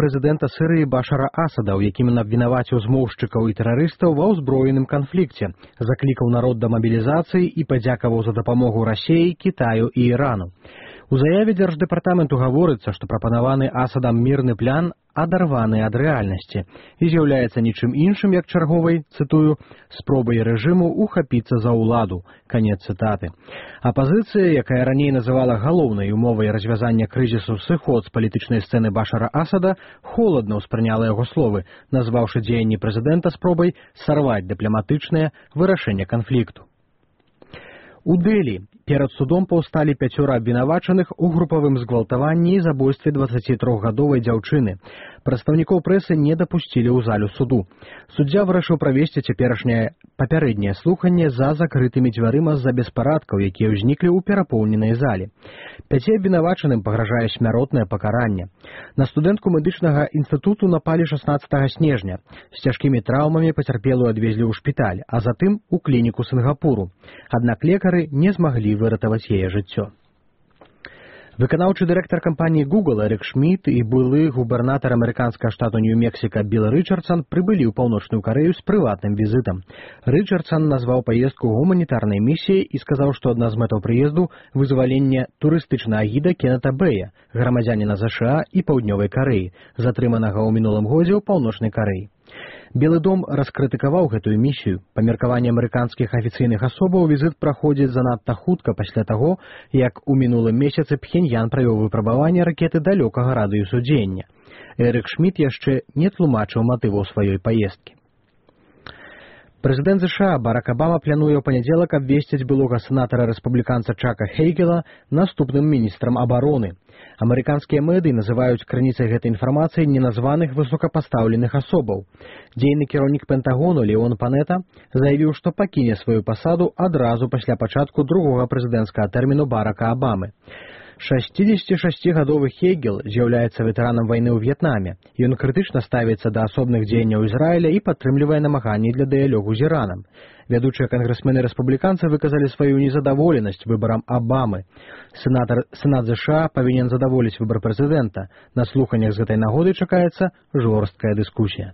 прэзідэнта Сірыі Башара Асада, у якім ён абвінаваціў змоўшчыкаў і тэрарыстаў ва ўзброеным канфлікце, заклікаў народ да мабілізацыі і падзякаваў за дапамогу Расіі, Кітаю і Ірану. У заяве Дзярждэпартаменту гаворыцца, што прапанаваны Асадам мірны план адарваны ад рэальнасці і з'яўляецца нічым іншым, як чарговай, цытую, спробай рэжыму ухапіцца за ўладу. Канец цытаты. Апазіцыя, якая раней называла галоўнай умовай развязання крызісу сыход з палітычнай сцэны Башара Асада, холадна ўспрыняла яго словы, назваўшы дзеянні прэзідэнта спробай сарваць дыпламатычнае вырашэнне канфлікту. У Дэлі перад судом паўсталі 5 абвінавачаных у групавым згвалтаванні і забойстве 23-гадовай дзяўчыны. Прадстаўнікоў прэсы не дапусцілі ў залю суду. Суддзя вырашыў правесці цяперашняе папярэдняе слуханне за закрытымі дзвярыма з-за беспарадкаў, якія ўзніклі ў перапоўненай зале. 5 абвінавачаным пагражае смяротнае пакаранне. На студэнтку медычнага інстытуту напалі 16 снежня. З цяжкімі траўмамі пацярпелую адвезлі ў шпіталь, а затым у клініку Сінгапуру. Аднак лекары не змаглі выратаваць яе жыццё. Выканаўчы дырэктар кампаніі Google Эрік Шмідт і былы губернатар амерыканскага штату Нью-Мексіка Білл Рычардсан прыбылі ў Паўночную Карэю з прыватным візітам. Рычардсан назваў паездку гуманітарнай місіяй і сказаў, што адна з мэтаў прыезду – вызваленне турыстычнага гіда Кеннета Бэя, грамадзяніна ЗША і Паўднёвай Карэі, затрыманага ў мінулым годзе ў Паўночнай Карэі. Белы дом раскрытыкаваў гэтую місію. Па меркаванні амерыканскіх афіцыйных асобаў візіт праходзіць занадта хутка пасля таго, як у мінулым месяцы Пхеньян правёў выпрабаванне ракеты далёкага радыусу дзеяння. Эрік Шмідт яшчэ не тлумачыў матываў сваёй паездкі. Прэзідэнт ЗША Барак Абама плануе ў панядзелак абвесціць былога сенатара-рэспубліканца Чака Хейгела наступным міністрам абароны. Амерыканскія медыі называюць крыніцай гэтай інфармацыі неназваных высокапастаўленых асобаў. Дзейны кіраўнік Пентагону Леон Панета заявіў, што пакіне сваю пасаду адразу пасля пачатку другога прэзідэнцкага тэрміну Барака Абамы. 66-гадовы Хейгел з'яўляецца ветэранам вайны ў В'етнаме. Ён крытычна ставіцца да асобных дзеянняў Ізраіля і падтрымлівае намаганні для дыялогу з Іранам. Вядучыя кангрэсмены-рэспубліканцы выказалі сваю незадаволенасць выбарам Абамы. Сенат ЗША павінен задаволіць выбар прэзідэнта. На слуханнях з гэтай нагоды чакаецца жорсткая дыскусія.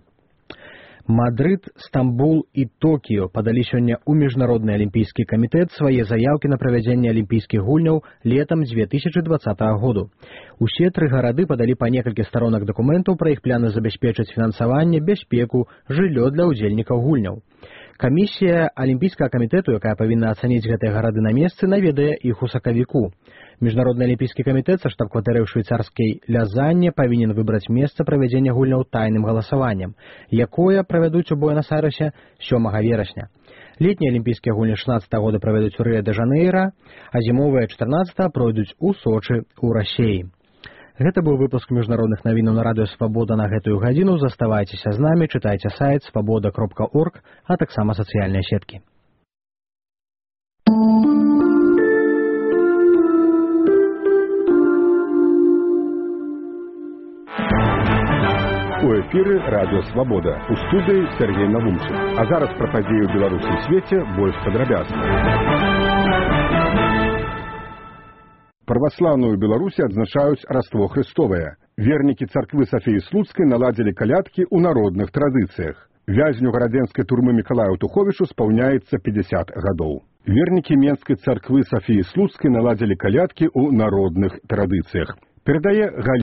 Мадрид, Стамбул і Токіо падалі сёння ў Міжнародны алімпійскі камітэт свае заяўкі на правядзенне алімпійскіх гульняў летам 2020 году. Усе 3 гарады падалі па некалькі старонак дакументаў пра іх пляны забяспечыць фінансаванне, бяспеку, жыллё для ўдзельнікаў гульняў. Камісія алімпійскага камітэту, якая павінна ацаніць гэтыя гарады на месцы, наведае іх у сакавіку. Міжнародны алімпійскі камітэт са штаб-кватэры ў швейцарскай Лязанне павінен выбраць месца правядзення гульняў тайным галасаваннем, якое правядуць у Буэнас-Айрэсе 7 верасня. Летнія алімпійскія гульні 16 года правядуць у Рыа-дэ-Жанэйра, а зімовыя 14 пройдуць у Сочы ў Расіі. Гэта быў выпуск міжнародных навінаў на радыё Свабода на гэтую гадзіну. Заставайцеся з намі, чытайце сайт свабода.орг, а таксама сацыяльныя сеткі. У эфіры радыё Свабода. У студыі Сергей Навумчык. А зараз пра падзеі ў Беларусі і свеце больш падрабязна. Праваслаўную Беларусі адзначаюць Раство Хрыстовае. Вернікі царквы Сафіі Слуцкай наладзілі калядкі ў народных традыцыях. Вязню гарадзенскай турмы Мікалаю Туховічу спаўняецца 50 гадоў. Вернікі Менскай царквы Сафіі Слуцкай наладзілі калядкі ў народных традыцыях. Перадае